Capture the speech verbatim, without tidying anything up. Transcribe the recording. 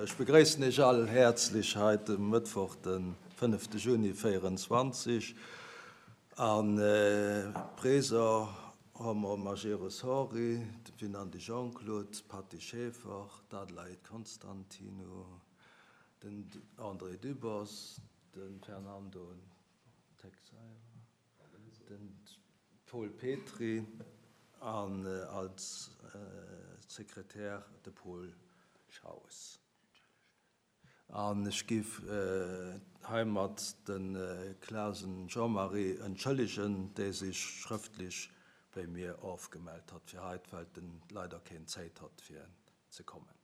Ech begréissen Iech all häerzlech hei de Mëttwoch, de fënnefte Juni véierenzwanzeg. A présent hu mer Majerus Henri, de Winandy Jean-Claude, d'Patty Schaeffer, d'Adelaide Constantinou, den André Dübbers, de Fernando Teixeira, de Paul Petry an als Sekretär de Paul Schaus. An ech géif heimat de Clasen Jean-Marie entschëllegen, dee sech schrëftlech bei mir ofgemellt hat fir haut, well en leider keen Zäit hat fir ze kommen.